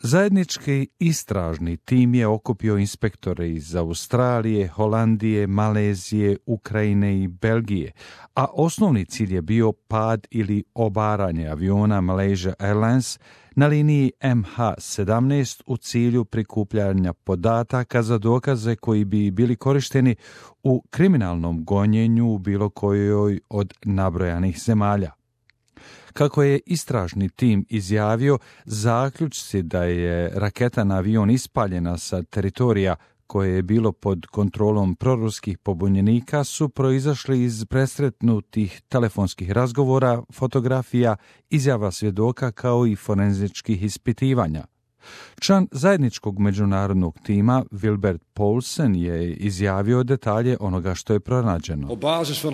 Zajednički istražni tim je okupio inspektore iz Australije, Holandije, Malezije, Ukrajine i Belgije, a osnovni cilj je bio pad ili obaranje aviona Malaysia Airlines na liniji MH17 u cilju prikupljanja podataka za dokaze koji bi bili korišteni u kriminalnom gonjenju u bilo kojoj od nabrojanih zemalja. Kako je istražni tim izjavio, zaključci da je raketa na avion ispaljena sa teritorija koje je bilo pod kontrolom proruskih pobunjenika su proizašli iz presretnutih telefonskih razgovora, fotografija, izjava svjedoka kao i forenzičkih ispitivanja. Član zajedničkog međunarodnog tima Wilbert Paulsen je izjavio detalje onoga što je pronađeno. Based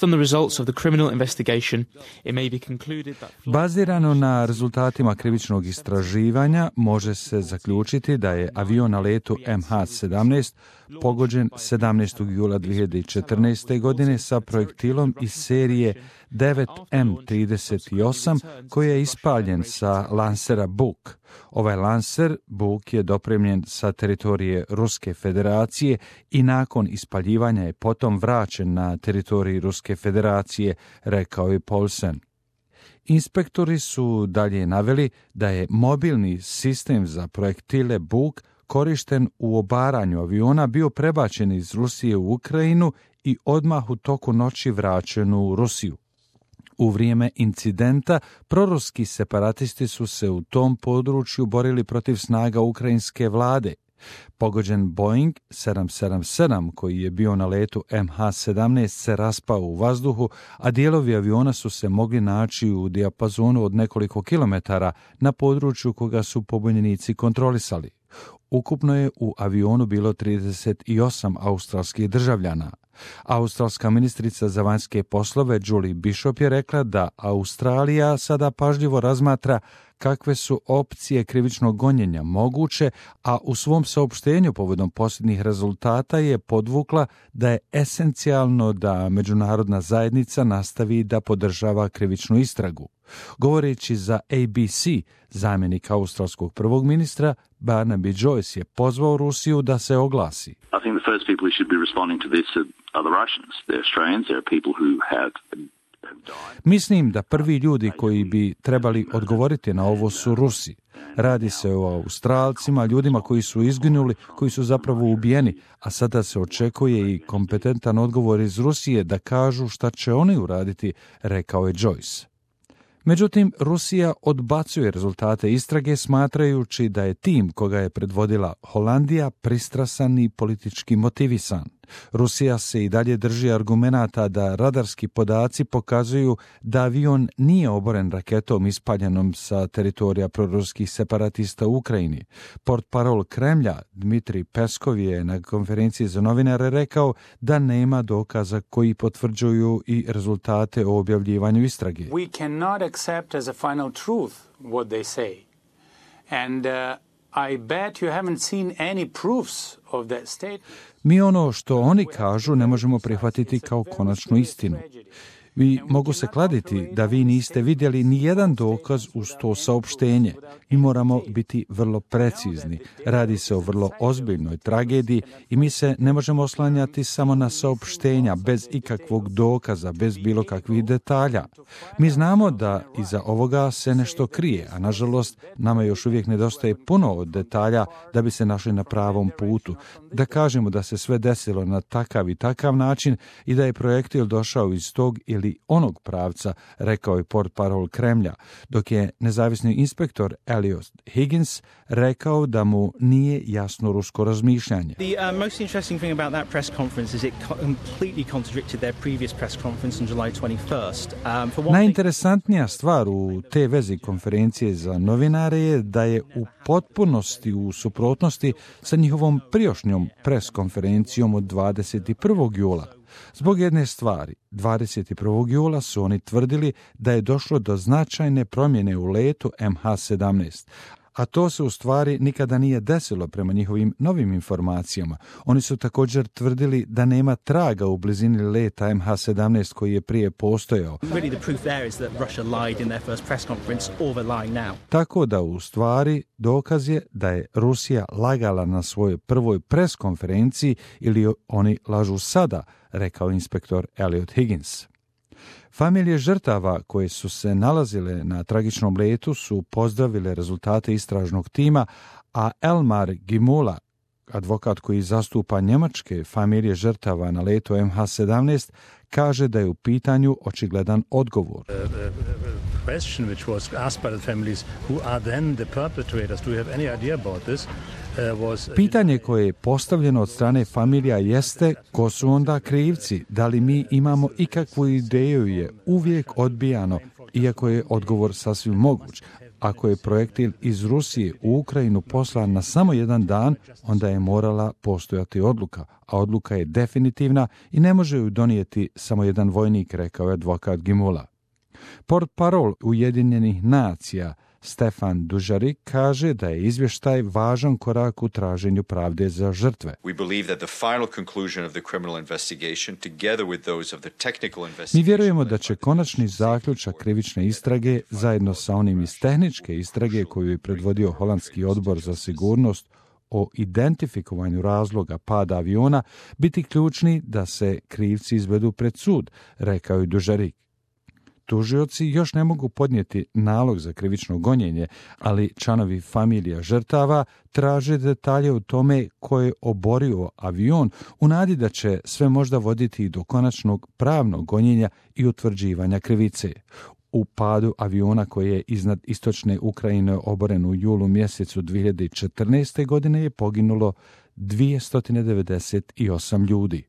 on the results of the criminal investigation, it may be concluded that... Bazirano na rezultatima krivičnog istraživanja može se zaključiti da je avion na letu MH17 pogođen 17. jula 2014. godine sa projektilom iz serije 9M38 koji je ispaljen sa lansera Buk. Ovaj lanser Buk je dopremljen sa teritorije Ruske federacije i nakon ispaljivanja je potom vraćen na teritoriji Ruske federacije, rekao je Paulsen. Inspektori su dalje naveli da je mobilni sistem za projektile Buk korišten u obaranju aviona bio prebačen iz Rusije u Ukrajinu i odmah u toku noći vraćen u Rusiju. U vrijeme incidenta proruski separatisti su se u tom području borili protiv snaga ukrajinske vlade. Pogođen Boeing 777 koji je bio na letu MH17 se raspao u vazduhu, a dijelovi aviona su se mogli naći u dijapazonu od nekoliko kilometara na području koga su pobunjenici kontrolisali. Ukupno je u avionu bilo 38 australskih državljana. Australska ministrica za vanjske poslove Julie Bishop je rekla da Australija sada pažljivo razmatra kakve su opcije krivičnog gonjenja moguće, a u svom saopštenju povodom posljednjih rezultata je podvukla da je esencijalno da međunarodna zajednica nastavi da podržava krivičnu istragu. Govoreći za ABC, zamjenik australskog prvog ministra Barnaby Joyce je pozvao Rusiju da se oglasi. I think the first people who should be responding to this are the Russians. They're Australians, there are people who have... Mislim da prvi ljudi koji bi trebali odgovoriti na ovo su Rusi. Radi se o Australcima, ljudima koji su izginuli, koji su zapravo ubijeni, a sada se očekuje i kompetentan odgovor iz Rusije da kažu šta će oni uraditi, rekao je Joyce. Međutim, Rusija odbacuje rezultate istrage smatrajući da je tim koga je predvodila Holandija pristrasan i politički motivisan. Rusija se i dalje drži argumenata da radarski podaci pokazuju da avion nije oboren raketom ispaljenom sa teritorija proruskih separatista u Ukrajini. Portparol Kremlja Dmitrij Peskov je na konferenciji za novinare rekao da nema dokaza koji potvrđuju i rezultate o objavljivanju istrage. We cannot accept as a final truth what they say. And I bet you haven't seen any proofs of that statement. Mi ono što oni kažu ne možemo prihvatiti kao konačnu istinu. Vi mogu se kladiti da vi niste vidjeli ni jedan dokaz uz to saopštenje. Mi moramo biti vrlo precizni. Radi se o vrlo ozbiljnoj tragediji i mi se ne možemo oslanjati samo na saopštenja bez ikakvog dokaza, bez bilo kakvih detalja. Mi znamo da iza ovoga se nešto krije, a nažalost nama još uvijek nedostaje puno od detalja da bi se našli na pravom putu. Da kažemo da se sve desilo na takav i takav način i da je projektil došao iz tog ili onog pravca, rekao je portparol Kremlja, dok je nezavisni inspektor Elliot Higgins rekao da mu nije jasno rusko razmišljanje. The most interesting thing about that press conference is it completely contradicted their previous press conference on July 21st. Najinteresantnija stvar u te vezi konferencije za novinare je da je u potpunosti u suprotnosti sa njihovom prijašnjom pres konferencijom od 21. jula. Zbog jedne stvari, 21. jula su oni tvrdili da je došlo do značajne promjene u letu MH17, a to se u stvari nikada nije desilo prema njihovim novim informacijama. Oni su također tvrdili da nema traga u blizini leta MH17 koji je prije postojao. Tako da u stvari dokaz je da je Rusija lagala na svojoj prvoj pres konferenciji ili oni lažu sada, rekao inspektor Elliot Higgins. Familije žrtava koje su se nalazile na tragičnom letu su pozdravile rezultate istražnog tima, a Elmar Gimula, advokat koji zastupa njemačke familije žrtava na letu MH17, kaže da je u pitanju očigledan odgovor. Pitanje koje je postavljeno od strane familija jeste ko su onda krivci, da li mi imamo ikakvu ideju je uvijek odbijano, iako je odgovor sasvim moguć. Ako je projektil iz Rusije u Ukrajinu poslan na samo jedan dan, onda je morala postojati odluka, a odluka je definitivna i ne može ju donijeti samo jedan vojnik, rekao je advokat Gimula. Portparol Ujedinjenih nacija Stefan Dujarric kaže da je izvještaj važan korak u traženju pravde za žrtve. Mi vjerujemo da će konačni zaključak krivične istrage zajedno sa onim iz tehničke istrage koju je predvodio Holandski odbor za sigurnost o identifikovanju razloga pada aviona biti ključni da se krivci izvedu pred sud, rekao je Dujarric. Tužioci još ne mogu podnijeti nalog za krivično gonjenje, ali članovi familija žrtava traže detalje o tome ko je oborio avion u nadi da će sve možda voditi do konačnog pravnog gonjenja i utvrđivanja krivice. U padu aviona koji je iznad istočne Ukrajine oboren u julu mjesecu 2014. godine je poginulo 298 ljudi.